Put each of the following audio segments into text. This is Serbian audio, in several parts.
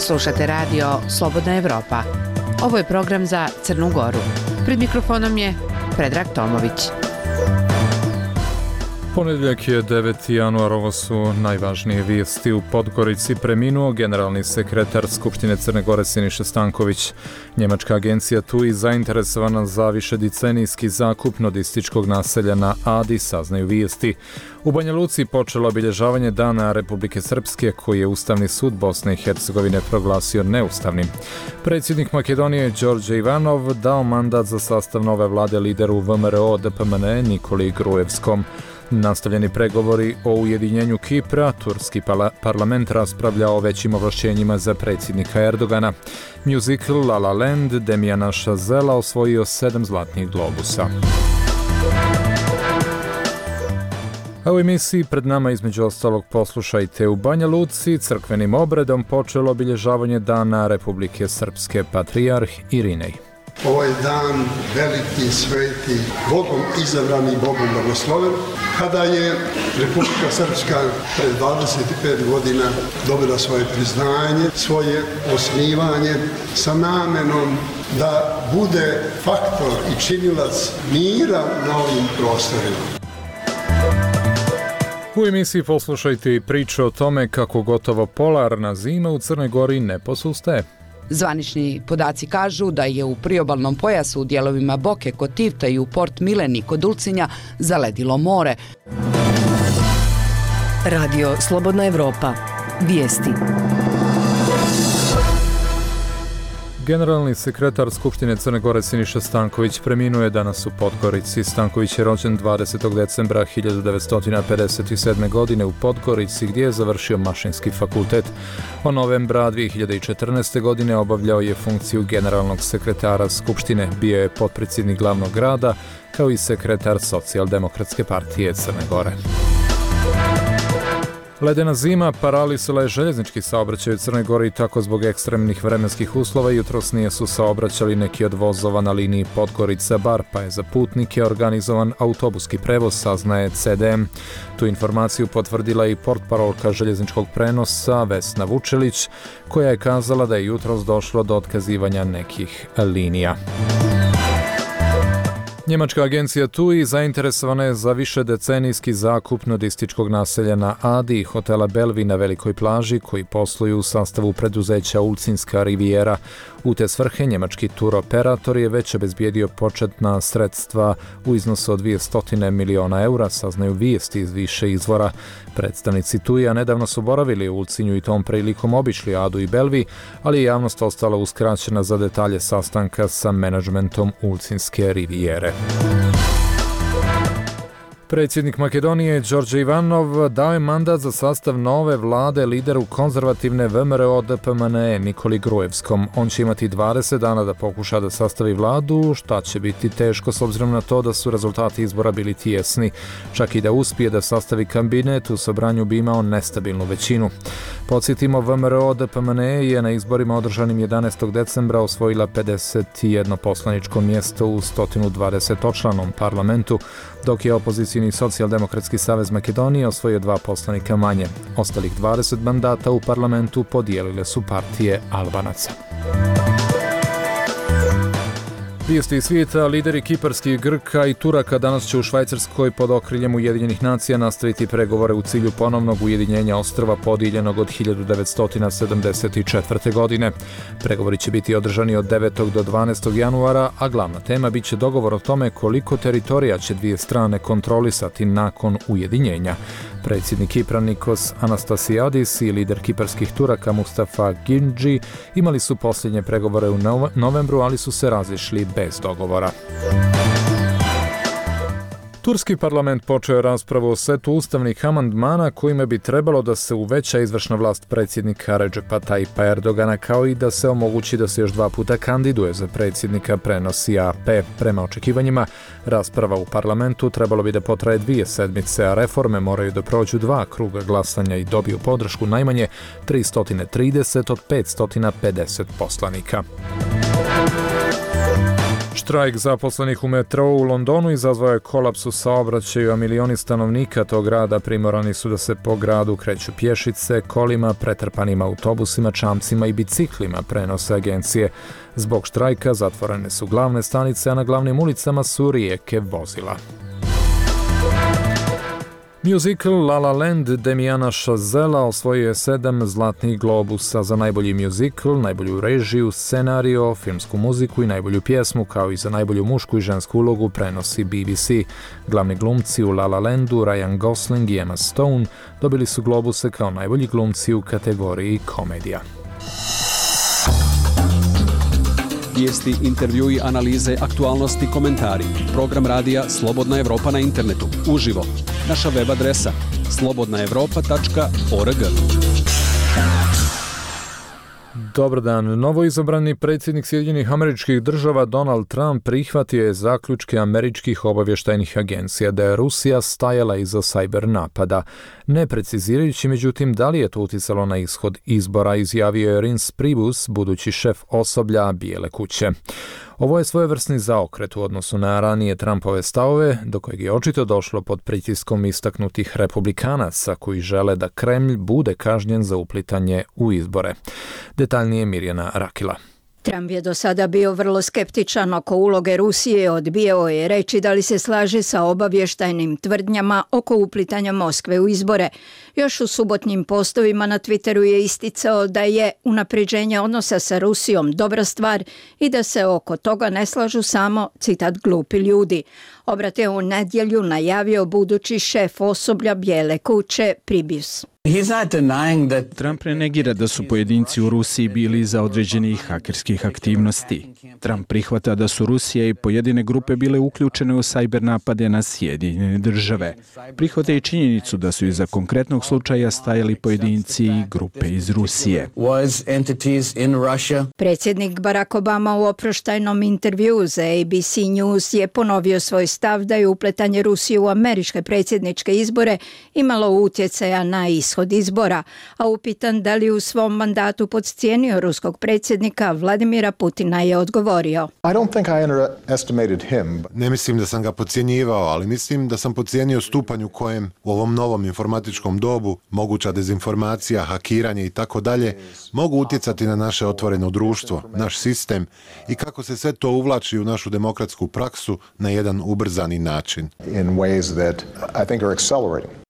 Slušate radio Slobodna Evropa. Ovo je program za Crnu Goru. Pred mikrofonom je Predrag Tomović. Ponedjeljak je 9. januar, ovo su najvažnije vijesti. U Podgorici preminuo generalni sekretar Skupštine Crne Gore Siniša Stanković. Njemačka agencija TUI zainteresovana za višedecenijski zakup nudističkog naselja na Adi, saznaju vijesti. U Banja Luci počelo obilježavanje Dana Republike Srpske, koji je Ustavni sud Bosne i Hercegovine proglasio neustavnim. Predsjednik Makedonije Đorđe Ivanov dao mandat za sastav nove vlade lideru VMRO DPMNE Nikoli Gruevskom. Nastavljeni pregovori o ujedinjenju Kipra, turski parlament raspravlja o većim ovlašćenjima za predsjednika Erdogana. Musical La La Land Demiana Chazela osvojio 7 zlatnih globusa. A u emisiji pred nama između ostalog poslušajte: u Banja Luci crkvenim obredom počelo obilježavanje Dana Republike Srpske, patrijarh Irinej. Ovo je dan veliki, sveti, Bogom izabrani, Bogom blagosloven, kada je Republika Srpska pred 25 godina dobila svoje priznanje, svoje osnivanje sa namenom da bude faktor i činilac mira na ovim prostorima. U emisiji poslušajte i priču o tome kako gotovo polarna zima u Crnoj Gori ne posustaje. Zvanični podaci kažu da je u priobalnom pojasu u dijelovima Boke kod Tivta i u Port Mileni kod Ulcinja zaledilo more. Radio Slobodna Evropa. Vijesti. Generalni sekretar Skupštine Crne Gore Siniša Stanković preminuo je danas u Podgorici. Stanković je rođen 20. decembra 1957. godine u Podgorici, gdje je završio Mašinski fakultet. Od novembra 2014. godine obavljao je funkciju generalnog sekretara Skupštine, bio je potpredsjednik glavnog grada, kao i sekretar Socijaldemokratske partije Crne Gore. Ledena zima paralisala je željeznički saobraćaj u Crnoj Gori i tako zbog ekstremnih vremenskih uslova jutros nije su saobraćali neki od vozova na liniji Podgorica-Bar, pa je za putnike organizovan autobuski prevoz, saznaje CDM. Tu informaciju potvrdila i portparolka željezničkog prenosa Vesna Vučelić, koja je kazala da je jutros došlo do otkazivanja nekih linija. Njemačka agencija TUI zainteresovana je za višedecenijski zakup nudističkog naselja na Adi i hotela Belvi na Velikoj plaži, koji posluju u sastavu preduzeća Ulcinska rivijera. U te svrhe njemački turoperator je već obezbijedio početna sredstva u iznosu od 200 miliona eura, saznaju vijesti iz više izvora. Predstavnici TUI-a nedavno su boravili u Ulcinju i tom prilikom obišli Adu i Belvi, ali je javnost ostala uskraćena za detalje sastanka sa menadžmentom Ulcinske rivijere. Predsjednik Makedonije Đorđe Ivanov dao je mandat za sastav nove vlade lideru konzervativne VMRO DPMNE Nikoli Gruevskom. On će imati 20 dana da pokuša da sastavi vladu, šta će biti teško s obzirom na to da su rezultati izbora bili tijesni. Čak i da uspije da sastavi kabinet, u sobranju bi imao nestabilnu većinu. Podsjetimo, VMRO DPMNE je na izborima održanim 11. decembra osvojila 51 poslaničko mjesto u 120-očlanom parlamentu, dok je opozicijni Socijaldemokratski savez Makedonije osvojio 2 poslanika manje. Ostalih 20 mandata u parlamentu podijelile su partije Albanaca. Vijesti iz svijeta: lideri kiparskih, Grka i Turaka danas će u Švajcarskoj pod okriljem Ujedinjenih nacija nastaviti pregovore u cilju ponovnog ujedinjenja ostrva podijeljenog od 1974. godine. Pregovori će biti održani od 9. do 12. januara, a glavna tema biće dogovor o tome koliko teritorija će dvije strane kontrolisati nakon ujedinjenja. Predsjednik Kipra Nikos Anastasiadis i lider kiparskih Turaka Mustafa Ginđi imali su posljednje pregovore u novembru, ali su se razišli bez dogovora. Turski parlament počeo je raspravu o setu ustavnih amandmana kojima bi trebalo da se uveća izvršna vlast predsjednika Redžepa Tajipa Erdogana, kao i da se omogući da se još 2 puta kandiduje za predsjednika, prenosi AP. Prema očekivanjima, rasprava u parlamentu trebalo bi da potraje 2 sedmice, a reforme moraju da prođu 2 kruga glasanja i dobiju podršku najmanje 330 od 550 poslanika. Štrajk zaposlenih u metrou u Londonu izazvao je kolaps u saobraćaju, a milioni stanovnika tog grada primorani su da se po gradu kreću pješice, kolima, pretrpanim autobusima, čamcima i biciklima, prenose agencije. Zbog štrajka zatvorene su glavne stanice, a na glavnim ulicama su rijeke vozila. Musical La La Land Damiana Chazela osvojio je 7 zlatnih globusa za najbolji musical, najbolju režiju, scenario, filmsku muziku i najbolju pjesmu, kao i za najbolju mušku i žensku ulogu, prenosi BBC. Glavni glumci u La La Landu, Ryan Gosling i Emma Stone, dobili su globuse kao najbolji glumci u kategoriji komedija. Vijesti, intervjui, analize, aktualnosti, komentari. Program radija Slobodna Evropa na internetu. Uživo. Naša web adresa slobodnaevropa.org. Dobar dan. Novoizabrani predsjednik Sjedinjenih Američkih Država Donald Trump prihvatio je zaključke američkih obavještajnih agencija da je Rusija stajala iza cyber napada. Ne precizirajući međutim da li je to utjecalo na ishod izbora, izjavio je Reince Priebus, budući šef osoblja Bijele kuće. Ovo je svojevrsni zaokret u odnosu na ranije Trumpove stavove, do kojeg je očito došlo pod pritiskom istaknutih republikanaca koji žele da Kremlj bude kažnjen za uplitanje u izbore. Detaljnije Mirjana Rakila. Trump je do sada bio vrlo skeptičan oko uloge Rusije, odbijao je reći da li se slaže sa obavještajnim tvrdnjama oko uplitanja Moskve u izbore. Još u subotnjim postovima na Twitteru je isticao da je unapređenje odnosa sa Rusijom dobra stvar i da se oko toga ne slažu samo, citat, glupi ljudi. Obrat je u nedjelju najavio budući šef osoblja Bijele kuće Priebus. Trump ne negira da su pojedinci u Rusiji bili iza određenih hakerskih aktivnosti. Trump prihvata da su Rusija i pojedine grupe bile uključene u cyber napade na Sjedinjene Države. Prihvata i činjenicu da su iza konkretnog slučaja stajali pojedinci i grupe iz Rusije. Predsjednik Barack Obama u oproštajnom intervjuu za ABC News je ponovio svoj stav da je upletanje Rusije u američke predsjedničke izbore imalo utjecaja na ishod izbora, a upitan da li u svom mandatu podcijenio ruskog predsjednika Vladimira Putina je odgovorio. Ne mislim da sam ga podcjenjivao, ali mislim da sam podcijenio stupanj u kojem u ovom novom informatičkom dobu moguća dezinformacija, hakiranje i tako dalje mogu utjecati na naše otvoreno društvo, naš sistem i kako se sve to uvlači u našu demokratsku praksu na jedan ubrzani način.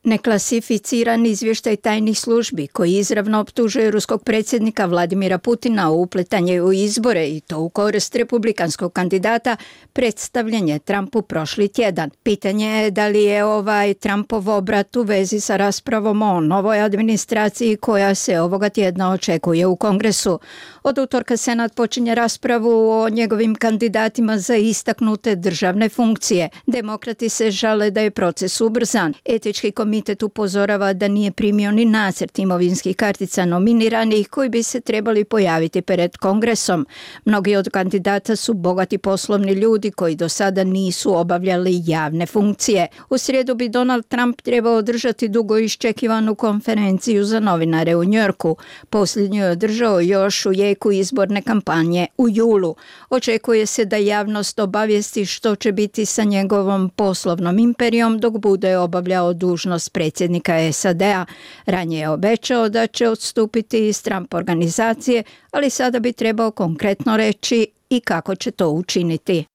Neklasificiran izvještaj tajnih službi koji izravno optužuje ruskog predsjednika Vladimira Putina o upletanje u izbore i to u korist republikanskog kandidata predstavljen je Trumpu prošli tjedan. Pitanje je da li je ovaj Trumpov obrat u vezi sa raspravom o novoj administraciji koja se ovoga tjedna očekuje u Kongresu. Od utorka Senat počinje raspravu o njegovim kandidatima za istaknute državne funkcije. Demokrati se žale da je proces ubrzan. Etički komitet upozorava da nije primio ni nacrt imovinskih kartica nominiranih koji bi se trebali pojaviti pred Kongresom. Mnogi od kandidata su bogati poslovni ljudi koji do sada nisu obavljali javne funkcije. U srijedu bi Donald Trump trebao održati dugo iščekivanu konferenciju za novinare u Njujorku. Posljednju je održao još u jeku izborne kampanje u julu. Očekuje se da javnost obavijesti što će biti sa njegovom poslovnom imperijom dok bude obavljao dužnost predsjednika SAD-a. Ranije je obećao da će odstupiti iz Trump organizacije, ali sada bi trebao konkretno reći i kako će to učiniti.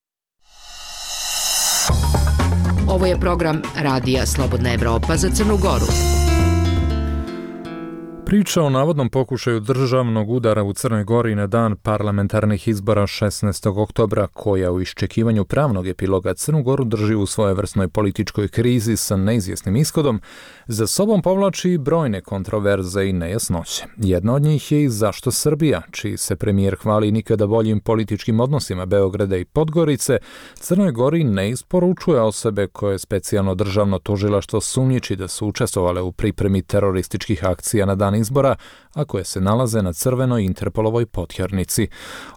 Ovo je program Radija Slobodna Evropa za Crnu Goru. Priča o navodnom pokušaju državnog udara u Crnoj Gori na dan parlamentarnih izbora 16. oktobra, koja u iščekivanju pravnog epiloga Crnu Goru drži u svojevrsnoj političkoj krizi sa neizvjesnim ishodom, za sobom povlači brojne kontroverze i nejasnoće. Jedna od njih je i zašto Srbija, čiji se premijer hvali nikada boljim političkim odnosima Beograda i Podgorice, Crnoj Gori ne isporučuje osobe koje specijalno državno tužilaštvo sumnjiči da su učestvovale u pripremi terorističkih akcija na dan izbora, a koje se nalaze na crvenoj Interpolovoj potjernici.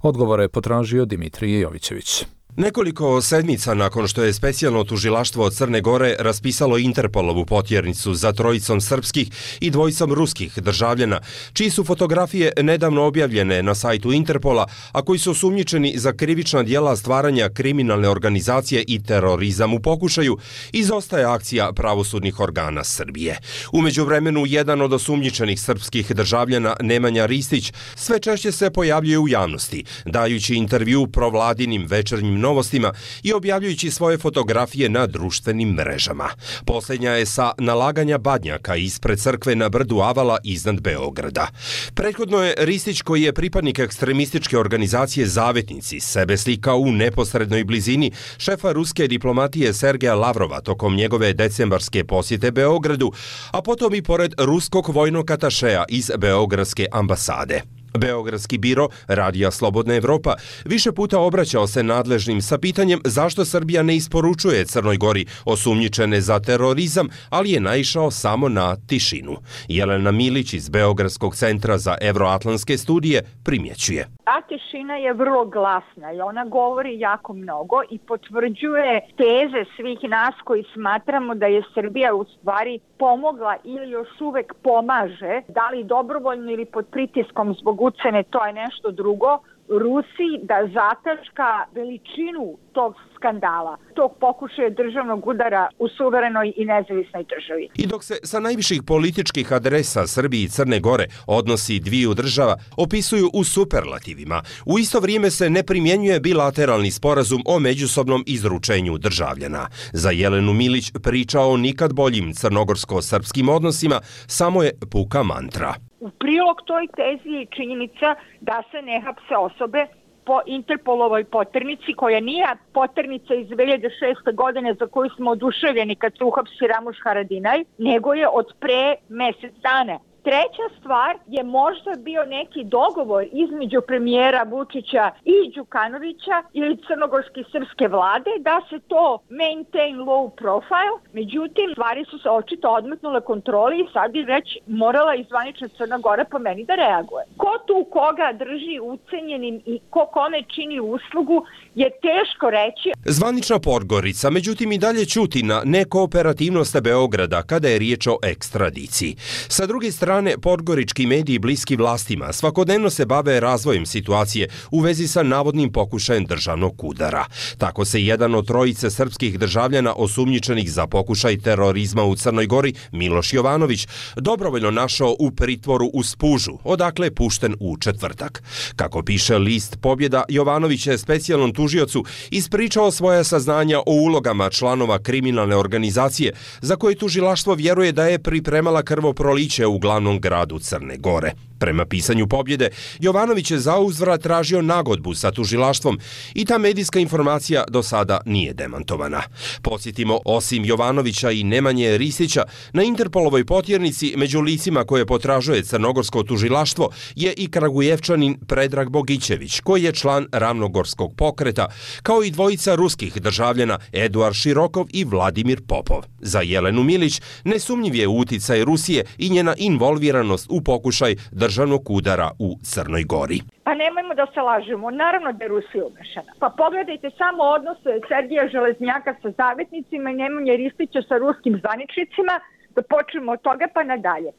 Odgovore je potražio Dimitrije Jovićević. Nekoliko sedmica nakon što je specijalno tužilaštvo Crne Gore raspisalo Interpolovu potjernicu za trojicom srpskih i dvojicom ruskih državljana, čiji su fotografije nedavno objavljene na sajtu Interpola, a koji su osumnjičeni za krivična djela stvaranja kriminalne organizacije i terorizam u pokušaju, izostaje akcija pravosudnih organa Srbije. U međuvremenu, jedan od osumnjičenih srpskih državljana, Nemanja Ristić, sve češće se pojavljuje u javnosti, dajući intervju provladinim večernjim novostima i objavljujući svoje fotografije na društvenim mrežama. Posljednja je sa nalaganja badnjaka ispred crkve na brdu Avala iznad Beograda. Prethodno je Ristić, koji je pripadnik ekstremističke organizacije Zavetnici, sebe slikao u neposrednoj blizini šefa ruske diplomatije Sergeja Lavrova tokom njegove decembarske posjete Beogradu, a potom i pored ruskog vojnog atašeja iz Beogradske ambasade. Beogradski biro Radija Slobodna Evropa više puta obraćao se nadležnim sa pitanjem zašto Srbija ne isporučuje Crnoj Gori osumnjičene za terorizam, ali je naišao samo na tišinu. Jelena Milić iz Beogradskog centra za evroatlantske studije primjećuje. Ta tišina je vrlo glasna i ona govori jako mnogo i potvrđuje teze svih nas koji smatramo da je Srbija u stvari pomogla ili još uvek pomaže, da li dobrovoljno ili pod pritiskom zbog ucene, to je nešto drugo, Rusiji da zataška veličinu tog skandala, tog pokušaja državnog udara u suverenoj i nezavisnoj državi. I dok se sa najviših političkih adresa Srbije i Crne Gore odnosi dviju država opisuju u superlativima, u isto vrijeme se ne primjenjuje bilateralni sporazum o međusobnom izručenju državljana. Za Jelenu Milić priča o nikad boljim crnogorsko-srpskim odnosima samo je puka mantra. U prilog toj tezi je činjenica da se ne hapse osobe po Interpolovoj poternici, koja nije poternica iz 2006. godine za koju smo oduševljeni kad se uhapsi Ramuš Haradinaj, nego je od pre mjesec dana. Treća stvar je možda bio neki dogovor između premijera Vučića i Đukanovića ili crnogorske srpske vlade da se to maintain low profile, međutim stvari su se očito odmetnule kontroli i sad bi već morala izvanična Crna Gora po meni da reaguje. Ko tu koga drži ucenjenim i ko kome čini uslugu je teško reći. Zvanična Podgorica međutim i dalje ćuti na nekooperativnost Beograda kada je riječ o ekstradiciji. Sa druge strane, podgorički mediji bliski vlastima svakodnevno se bave razvojem situacije u vezi sa navodnim pokušajem državnog udara. Tako se jedan od trojice srpskih državljana osumnjičenih za pokušaj terorizma u Crnoj Gori, Miloš Jovanović, dobrovoljno našao u pritvoru u Spužu, odakle je pušten u četvrtak. Kako piše list Pobjeda, Jovanović je specijalnom tužiocu ispričao svoja saznanja o ulogama članova kriminalne organizacije za koje tužilaštvo vjeruje da je pripremala krvoproliće u glavnom gradu Crne Gore. Prema pisanju Pobjede, Jovanović je zauzvrat tražio nagodbu sa tužilaštvom i ta medijska informacija do sada nije demantovana. Podsjetimo, osim Jovanovića i Nemanje Ristića, na Interpolovoj potjernici među licima koje potražuje crnogorsko tužilaštvo je i Kragujevčanin Predrag Bogićević, koji je član Ravnogorskog pokreta, kao i dvojica ruskih državljana Eduard Širokov i Vladimir Popov. Za Jelenu Milić nesumnjiv je uticaj Rusije i njena involviranost u pokušaj državnog udara u Crnoj Gori. Pa nemojmo da se lažemo, naravno da je Rusija umešana. Pa pogledajte samo odnose Sergeja Železnjaka sa Zavetnicima i Nemanje Ristića sa ruskim zvaničnicima, da počnemo od toga pa nadalje.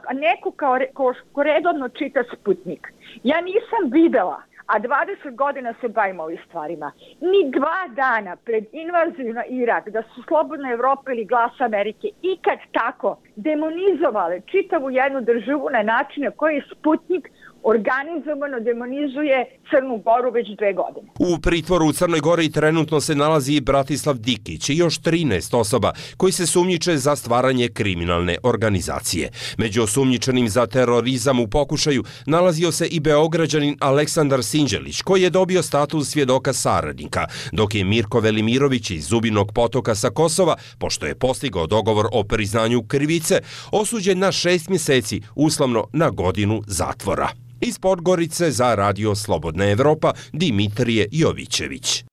A neko ko redovno čita Sputnik, ja nisam videla, a 20 godina se bavimo ovim stvarima, ni 2 dana pred invaziju na Irak, da su Slobodna Evropa ili Glas Amerike ikad tako demonizovale čitavu jednu državu na način na koji Sputnik organizovano demonizuje Crnu Goru već 2 godine. U pritvoru u Crnoj Gori trenutno se nalazi Bratislav Dikić i još 13 osoba koji se sumnjiče za stvaranje kriminalne organizacije. Među osumnjičenim za terorizam u pokušaju nalazio se i Beograđanin Aleksandar Sinđelić, koji je dobio status svjedoka saradnika, dok je Mirko Velimirović iz Zubinog Potoka sa Kosova, pošto je postigao dogovor o priznanju krivice, osuđen na 6 mjeseci, uslovno na godinu zatvora. Iz Podgorice za Radio Slobodna Evropa, Dimitrije Jovićević.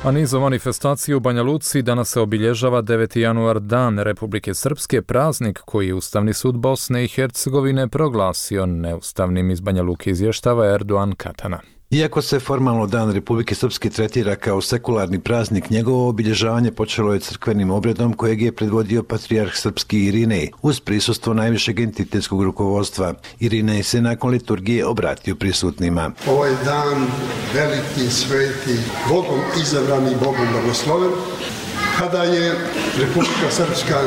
A niz manifestacije u Banja Luci danas se obilježava 9. januar, Dan Republike Srpske, praznik koji je Ustavni sud Bosne i Hercegovine proglasio neustavnim. Iz Banja Luke izvještava Erdoğan Katana. Iako se formalno Dan Republike Srpske tretira kao sekularni praznik, njegovo obilježavanje počelo je crkvenim obredom kojeg je predvodio patrijarh srpski Irinej, uz prisustvo najvišeg entitetskog rukovodstva. Irinej se nakon liturgije obratio prisutnima. Ovaj dan, veliki, sveti, Bogom izabrani, Bogom blagosloven, kada je Republika Srpska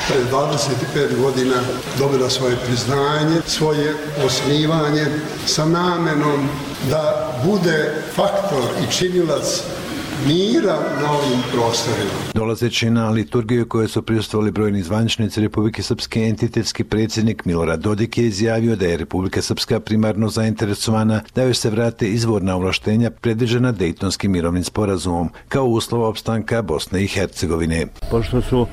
pred 25 godina dobila svoje priznanje, svoje osnivanje sa namenom da bude faktor i činilac mira na ovim prostorima. Dolazeći na liturgiju koje su prisustvovali brojni zvaničnici Republike Srpske, entitetski predsjednik Milorad Dodik je izjavio da je Republika Srpska primarno zainteresovana da joj se vrate izvorna ovlaštenja predviđena Dejtonskim mirovnim sporazumom kao uslova opstanka Bosne i Hercegovine. Pošto su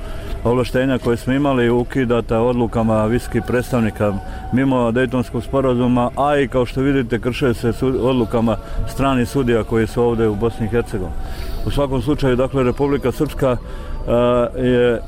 ovlaštenja koje smo imali ukidata odlukama visokih predstavnika mimo Dejtonskog sporazuma, a i kao što vidite krše se odlukama stranih sudija koji su ovdje u Bosni i Hercegovini. U svakom slučaju, dakle, Republika Srpska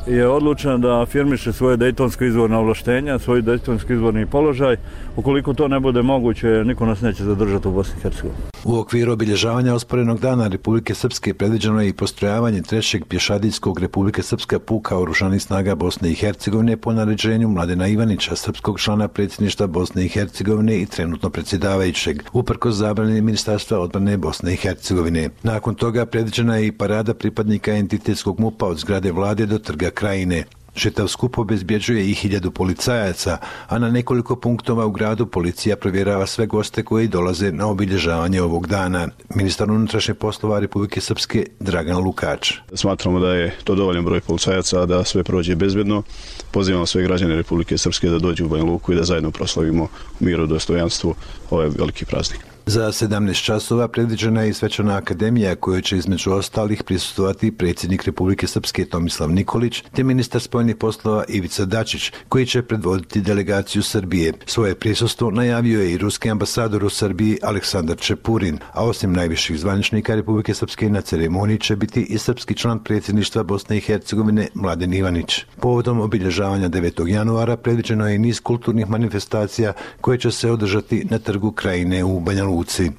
je odlučena da afirmiše svoje dejtonsko izvorno ovlaštenja, svoj dejtonski izvorni položaj. Ukoliko to ne bude moguće, niko nas neće zadržati u Bosni i Hercegovini. U okviru obilježavanja osporenog dana Republike Srpske predviđeno je i postrojavanje 3. pješadijskog Republike Srpska puka oružanih snaga Bosne i Hercegovine po naređenju Mladena Ivanića, srpskog člana predsjedništva Bosne i Hercegovine i trenutno predsjedavajućeg, uprkos zabrani Ministarstva odbrane Bosne i Hercegovine. Nakon toga predviđena je i parada pripadnika entitetskog MUP-a od zgrade vlade do trga Krajine. Čitav skup obezbjeđuje i 1000 policajaca, a na nekoliko punktova u gradu policija provjerava sve goste koji dolaze na obilježavanje ovog dana. Ministar unutrašnjih poslova Republike Srpske Dragan Lukač. Smatramo da je to dovoljan broj policajaca da sve prođe bezbjedno. Pozivamo sve građane Republike Srpske da dođu u Banja Luku i da zajedno proslavimo u miru i dostojanstvu ovaj veliki praznik. Za 17 časova predviđena je i svečana akademija kojoj će između ostalih prisustvovati predsjednik Republike Srpske Tomislav Nikolić te ministar spoljnih poslova Ivica Dačić koji će predvoditi delegaciju Srbije. Svoje prisustvo najavio je i ruski ambasador u Srbiji Aleksandar Čepurin, a osim najviših zvaničnika Republike Srpske na ceremoniji će biti i srpski član predsjedništva Bosne i Hercegovine Mladen Ivanić. Povodom obilježavanja 9. januara predviđeno je i niz kulturnih manifestacija koje će se održati na trgu Krajine u Banja Luci.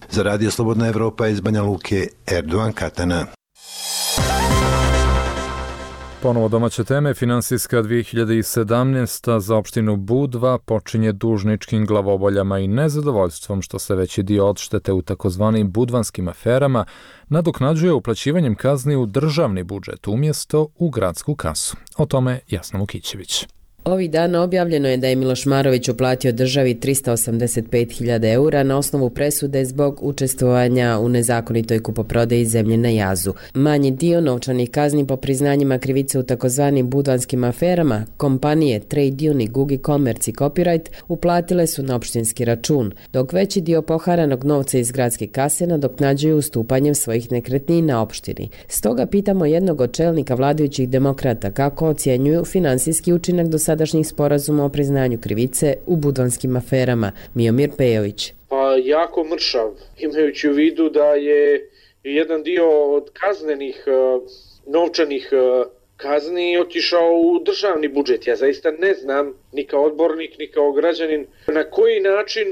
Za Radio Slobodna Evropa iz Banja Luke, Erdovan Katana. Ponovo domaće teme. Finansijska 2017. za opštinu Budva počinje dužničkim glavoboljama i nezadovoljstvom što se veći dio odštete u takozvanim budvanskim aferama nadoknađuje uplaćivanjem kazni u državni budžet umjesto u gradsku kasu. O tome Jasna Mukićević. Ovih dana objavljeno je da je Miloš Marović uplatio državi 385.000 eura na osnovu presude zbog učestvovanja u nezakonitoj kupoprodaji zemlje na Jazu. Manji dio novčanih kazni po priznanjima krivice u takozvanim budvanskim aferama kompanije Trade Unique, Gugi Commerce i Copyright uplatile su na opštinski račun, dok veći dio poharanog novca iz gradske kase nadoknađuju ustupanjem svojih nekretnina opštini. Stoga pitamo jednog od čelnika vladajućih demokrata kako ocjenjuju finansijski učinak do sadašnjih sporazuma o priznanju krivice u budvanskim aferama. Miomir Pejović. Pa jako mršav, imajući u vidu da je jedan dio od kaznenih novčanih kazni otišao u državni budžet. Ja zaista ne znam, ni kao odbornik, ni kao građanin, na koji način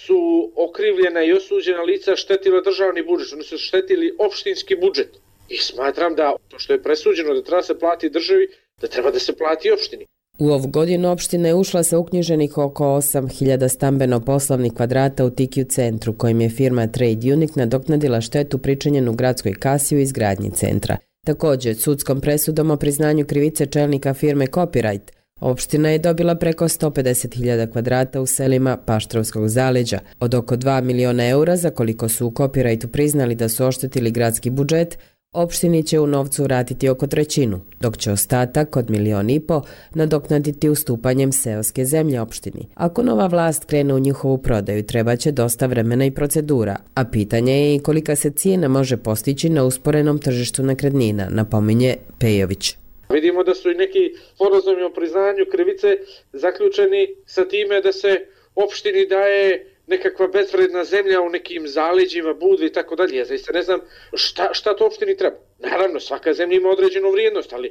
su okrivljena i osuđena lica štetila državni budžet, oni su štetili opštinski budžet. I smatram da to što je presuđeno da treba se plati državi, da treba da se plati opštini. U ovu godinu opština je ušla sa uknjiženih oko 8.000 stambeno-poslovnih kvadrata u Tikiju centru, kojim je firma Trade Unique nadoknadila štetu pričinjenu gradskoj kasi u izgradnji centra. Također, sudskom presudom o priznanju krivice čelnika firme Copyright, opština je dobila preko 150.000 kvadrata u selima Paštrovskog zaleđa. Od oko 2 miliona eura, za koliko su u Copyrightu priznali da su oštetili gradski budžet, opštini će u novcu vratiti oko 1/3, dok će ostatak od 1,5 miliona nadoknaditi ustupanjem seoske zemlje opštini. Ako nova vlast krene u njihovu prodaju, treba će dosta vremena i procedura, a pitanje je i kolika se cijena može postići na usporenom tržištu nekretnina, napominje Pejović. Vidimo da su i neki sporazumi o priznanju krivice zaključeni sa time da se opštini daje nekakva bezvredna zemlja u nekim zaleđima, Budve i tako dalje. Ja zaista ne znam šta to opštini treba. Naravno, svaka zemlja ima određenu vrijednost, ali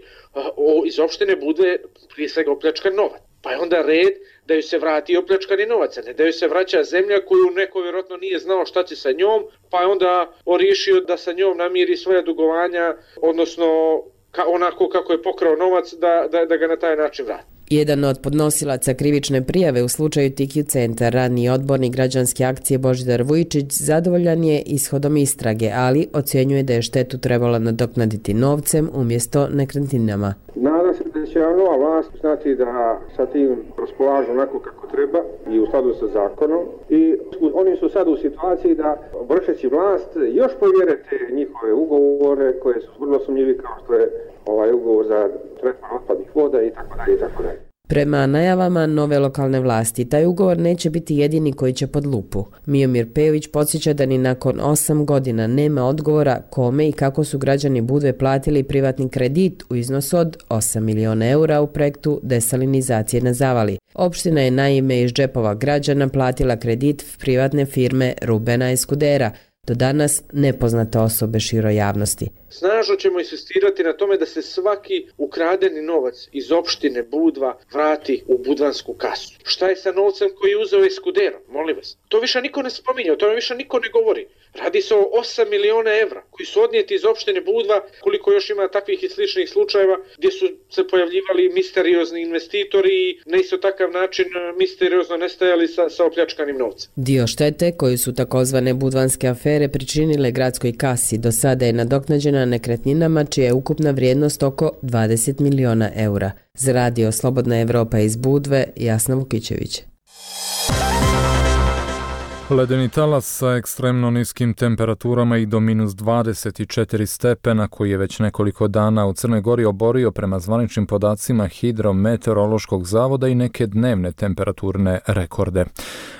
iz opštine Budve prije svega opljačkan novac. pa je onda red da ju se vrati opljačkani novac, ne da ju se vraća zemlja koju neko vjerojatno nije znao šta će sa njom, pa je onda riješio da sa njom namiri svoja dugovanja, odnosno onako kako je pokrao novac da ga na taj način vrati. Jedan od podnosilaca krivične prijave u slučaju TQ Centar, raniji odbornik građanske akcije Božidar Vujčić, zadovoljan je ishodom istrage, ali ocjenjuje da je štetu trebalo nadoknaditi novcem umjesto nekretninama. Nadam se da će nova vlast znati da sa tim raspolažu onako kako treba i u skladu sa zakonom. I oni su sad u situaciji da vršeći vlast još povjerete njihove ugovore koje su vrlo sumnjivi, kao što je ovaj ugovor za tretman otpadnih voda i tako dalje i tako dalje. Prema najavama nove lokalne vlasti, taj ugovor neće biti jedini koji će pod lupu. Miomir Pejović podsjeća da ni nakon 8 godina nema odgovora kome i kako su građani Budve platili privatni kredit u iznosu od 8 miliona eura u projektu desalinizacije na Zavali. Opština je naime iz džepova građana platila kredit privatne firme Rubena Eskudera, do danas nepoznate osobe široj javnosti. Snažno ćemo insistirati na tome da se svaki ukradeni novac iz opštine Budva vrati u budvansku kasu. Šta je sa novcem koji je uzeo Eskudero? Molim vas. To više niko ne spominje, o tome više niko ne govori. Radi se o 8 miliona evra koji su odnijeti iz opštine Budva, koliko još ima takvih i sličnih slučajeva gdje su se pojavljivali misteriozni investitori i na isto takav način misteriozno nestajali sa opljačkanim novcem. Dio štete koju su takozvane budvanske afere pričinile gradskoj kasi do sada je nadoknađena nekretninama čija je ukupna vrijednost oko 20 miliona eura. Za radio Slobodna Evropa iz Budve, Jasna Vukićević. Ledeni talas sa ekstremno niskim temperaturama i do minus 24 stepena koji je već nekoliko dana u Crnoj Gori oborio prema zvaničnim podacima Hidrometeorološkog zavoda i neke dnevne temperaturne rekorde.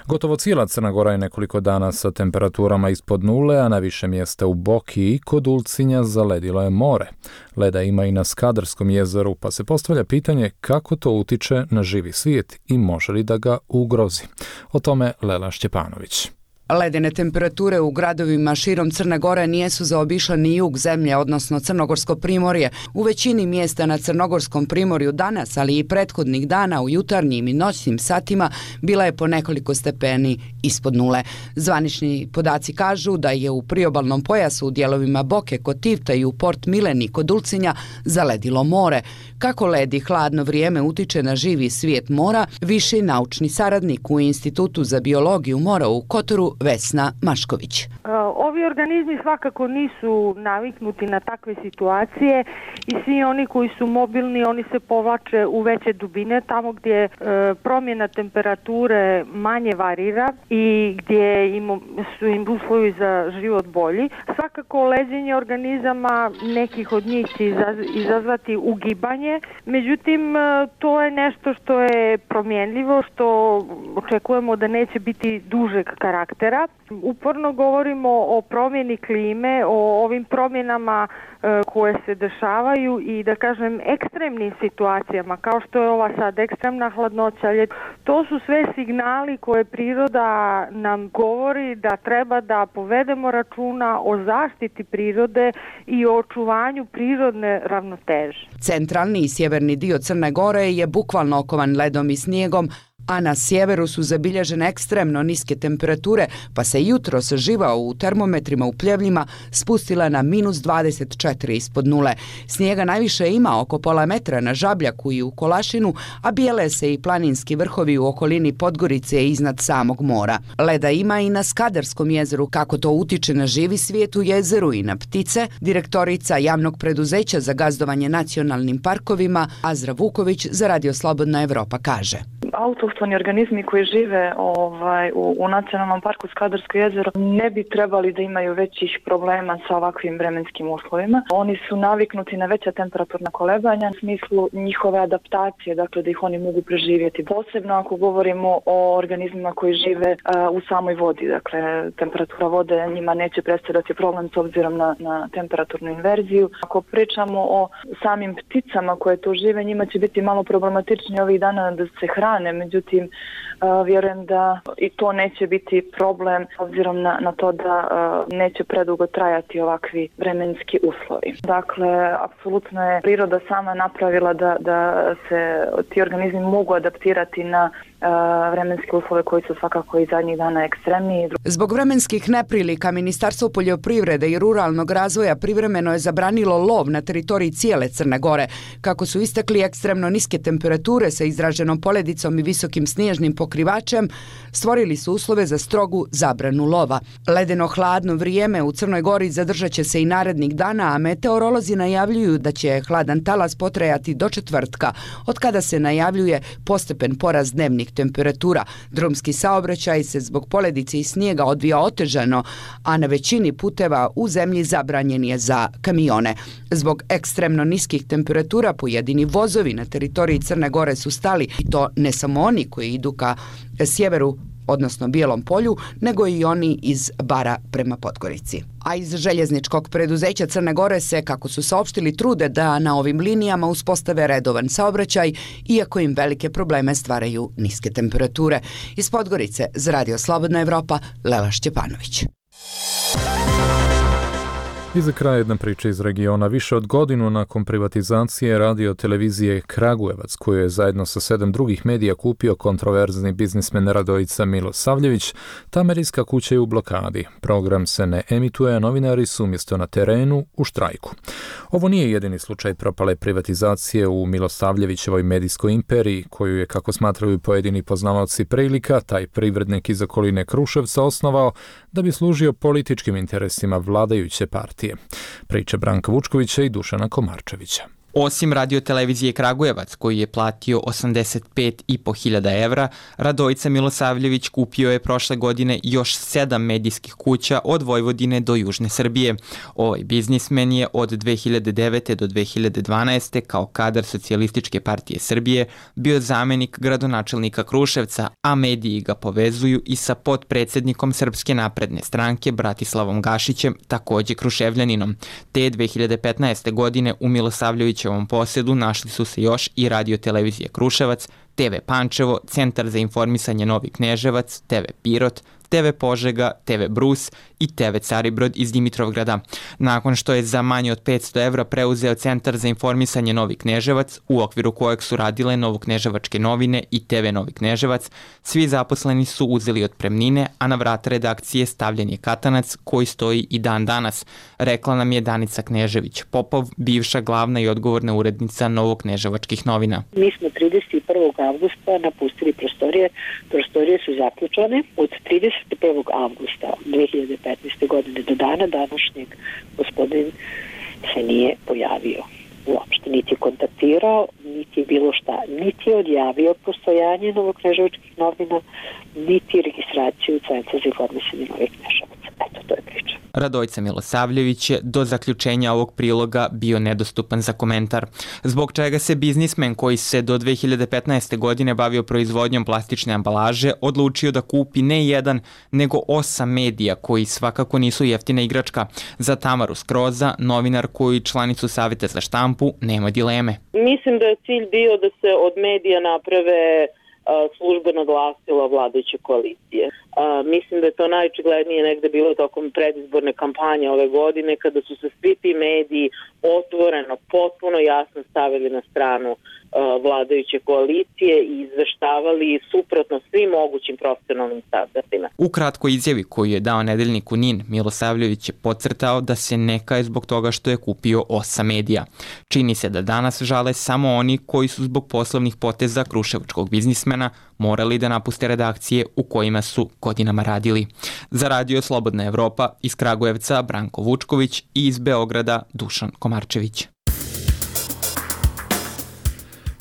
Gotovo cijela Crna Gora je nekoliko dana sa temperaturama ispod nule, a na više mjesta u Boki i kod Ulcinja zaledilo je more. Leda ima i na Skadarskom jezeru, pa se postavlja pitanje kako to utiče na živi svijet i može li da ga ugrozi. O tome Lela Šćepanović. Ledene temperature u gradovima širom Crne Gore nijesu zaobišle ni jug zemlje, odnosno Crnogorsko primorje. U većini mjesta na Crnogorskom primorju danas, ali i prethodnih dana u jutarnjim i noćnim satima, bila je po nekoliko stepeni ispod nule. Zvanični podaci kažu da je u priobalnom pojasu u dijelovima Boke kod Tivta i u Port Mileni kod Ulcinja zaledilo more. Kako led i hladno vrijeme utiče na živi svijet mora, viši naučni saradnik u Institutu za biologiju mora u Kotoru Vesna Mašković. Ovi organizmi svakako nisu naviknuti na takve situacije i svi oni koji su mobilni, oni se povlače u veće dubine, tamo gdje promjena temperature manje varira i gdje su im uslovi za život bolji. Svakako leđenje organizama nekih od njih će izazvati ugibanje, međutim to je nešto što je promjenljivo, što očekujemo da neće biti dužeg karaktera. Uporno govorimo o promjeni klime, o ovim promjenama koje se dešavaju i da kažem ekstremnim situacijama kao što je ova sad ekstremna hladnoća. To su sve signali koje priroda nam govori da treba da povedemo računa o zaštiti prirode i o očuvanju prirodne ravnoteže. Centralni i sjeverni dio Crne Gore je bukvalno okovan ledom i snijegom, a na sjeveru su zabilježene ekstremno niske temperature, pa se jutros živa u termometrima u Pljevljima spustila na minus 24 ispod nule. Snijega najviše ima oko pola metra na Žabljaku i u Kolašinu, a bijele se i planinski vrhovi u okolini Podgorice iznad samog mora. Leda ima i na Skadarskom jezeru. Kako to utiče na živi svijet u jezeru i na ptice, direktorica javnog preduzeća za gazdovanje nacionalnim parkovima Azra Vuković za Radio Slobodna Evropa kaže. Autohtoni organizmi koji žive u nacionalnom parku Skadarsko jezero ne bi trebali da imaju većih problema sa ovakvim vremenskim uslovima. Oni su naviknuti na veća temperaturna kolebanja u smislu njihove adaptacije, dakle da ih oni mogu preživjeti. Posebno ako govorimo o organizmima koji žive u samoj vodi, dakle temperatura vode njima neće predstavljati problem s obzirom na temperaturnu inverziju. Ako pričamo o samim pticama koje tu žive, njima će biti malo problematičnije ovih dana da se hrane, međutim Vjerujem da i to neće biti problem obzirom na to da neće predugo trajati ovakvi vremenski uslovi. Dakle, apsolutno je priroda sama napravila da se ti organizmi mogu adaptirati na vremenske uslove koji su svakako i zadnjih dana ekstremniji. Zbog vremenskih neprilika Ministarstvo poljoprivrede i ruralnog razvoja privremeno je zabranilo lov na teritoriji cijele Crne Gore. Kako su istakli, ekstremno niske temperature sa izraženom poledicom i visokim snježnim pokrivačem stvorili su uslove za strogu zabranu lova. Ledeno hladno vrijeme u Crnoj Gori zadržat će se i narednih dana, a meteorolozi najavljuju da će hladan talas potrajati do četvrtka, od kada se najavljuje postepen porast dnevnih temperatura. Drumski saobraćaj se zbog poledice i snijega odvija otežano, a na većini puteva u zemlji zabranjen je za kamione. Zbog ekstremno niskih temperatura pojedini vozovi na teritoriji Crne Gore su stali, i to ne samo oni koji idu ka sjeveru, odnosno Bijelom polju, nego i oni iz Bara prema Podgorici. A iz željezničkog preduzeća Crne Gore se, kako su saopštili, trude da na ovim linijama uspostave redovan saobraćaj, iako im velike probleme stvaraju niske temperature. Iz Podgorice za Radio Slobodna Evropa, Lela Šćepanović. I za kraj jedna priča iz regiona. Više od godinu nakon privatizacije radio televizije Kragujevac, koju je zajedno sa 7 drugih medija kupio kontroverzni biznismen Radojica Milosavljević, ta medijska kuća je u blokadi. Program se ne emituje, a novinari su umjesto na terenu u štrajku. Ovo nije jedini slučaj propale privatizacije u Milosavljevićevoj medijskoj imperiji, koju je, kako smatraju pojedini poznavaoci prilika, taj privrednik iz okoline Kruševca osnovao da bi služio političkim interesima vladajuće partije. Priča Branka Vučkovića i Dušana Komarčevića. Osim radiotelevizije Kragujevac, koji je platio 85.500 evra, Radojica Milosavljević kupio je prošle godine još 7 medijskih kuća od Vojvodine do Južne Srbije. Ovaj biznismen je od 2009. do 2012. kao kadar Socijalističke partije Srbije bio zamenik gradonačelnika Kruševca, a mediji ga povezuju i sa potpredsjednikom Srpske napredne stranke Bratislavom Gašićem, također Kruševljaninom. Te 2015. godine u Milosavljeviću ovom posjedu našli su se još i radiotelevizije Kruševac, TV Pančevo, Centar za informisanje Novi Kneževac, TV Pirot, TV Požega, TV Brus i TV Caribrod iz Dimitrovgrada. Nakon što je za manje od 500 evra preuzeo Centar za informisanje Novi Kneževac, u okviru kojeg su radile Novokneževačke novine i TV Novi Kneževac, svi zaposleni su uzeli otpremnine, a na vrata redakcije stavljen je katanac koji stoji i dan danas, rekla nam je Danica Knežević-Popov, bivša glavna i odgovorna urednica Novokneževačkih novina. Mi smo 31. avgusta napustili prostorije. Prostorije su zaključane od 31. avgusta 2015. godine do dana današnjeg. Gospodin se nije pojavio uopšte, niti je kontaktirao, niti je bilo šta, niti je odjavio postojanje Novokneževačkih novina, niti registraciju Centra za informisanje Novih Kneževaca. Eto, to je priča. Radojica Milosavljević je do zaključenja ovog priloga bio nedostupan za komentar, zbog čega se biznismen koji se do 2015. godine bavio proizvodnjom plastične ambalaže odlučio da kupi ne jedan, nego 8 medija koji svakako nisu jeftina igračka. Za Tamaru Skroza, novinarku i članicu Savjeta za štampu, nema dileme. Mislim da je cilj bio da se od medija naprave službeno glasilo vladajuće koalicije. Mislim da je to najočiglednije negde bilo tokom predizborne kampanje ove godine, kada su se svi ti mediji otvoreno, potpuno jasno stavili na stranu vladajuće koalicije i izveštavali suprotno svim mogućim profesionalnim standardima. U kratkoj izjavi koju je dao nedeljniku NIN, Milosavljević je podcrtao da se ne kaje zbog toga što je kupio 8 medija. Čini se da danas žale samo oni koji su zbog poslovnih poteza kruševačkog biznismena morali da napuste redakcije u kojima su godinama radili. Za Radio Slobodna Evropa iz Kragujevca Branko Vučković i iz Beograda Dušan Komarčević.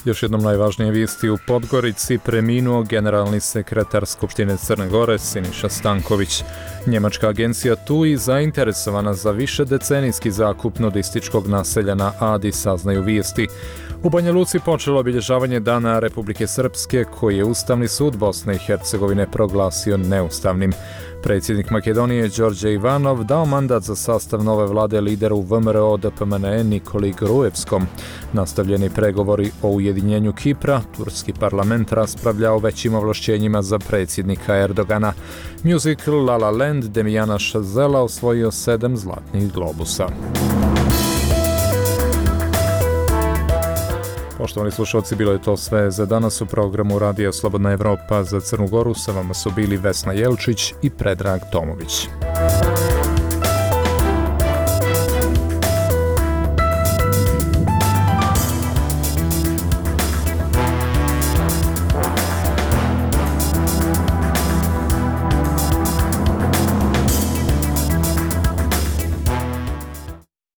Još jednom najvažnije vijesti u Podgorici, preminuo generalni sekretar Skupštine Crne Gore Siniša Stanković. Njemačka agencija TUI zainteresovana za višedecenijski zakup nudističkog naselja na Adi, saznaju vijesti. U Banja Luci počelo obilježavanje Dana Republike Srpske, koji je Ustavni sud Bosne i Hercegovine proglasio neustavnim. Predsjednik Makedonije Đorđe Ivanov dao mandat za sastav nove vlade lideru VMRO DPMNE Nikoli Gruevskom. Nastavljeni pregovori o ujedinjenju Kipra, turski parlament raspravlja o većim ovlašćenjima za predsjednika Erdogana. Musical La La Land Demiana Chazela osvojio 7 zlatnih globusa. Poštovani slušalci, bilo je to sve za danas u programu Radija Slobodna Evropa. Za Crnu Goru sa vama su bili Vesna Jelčić i Predrag Tomović.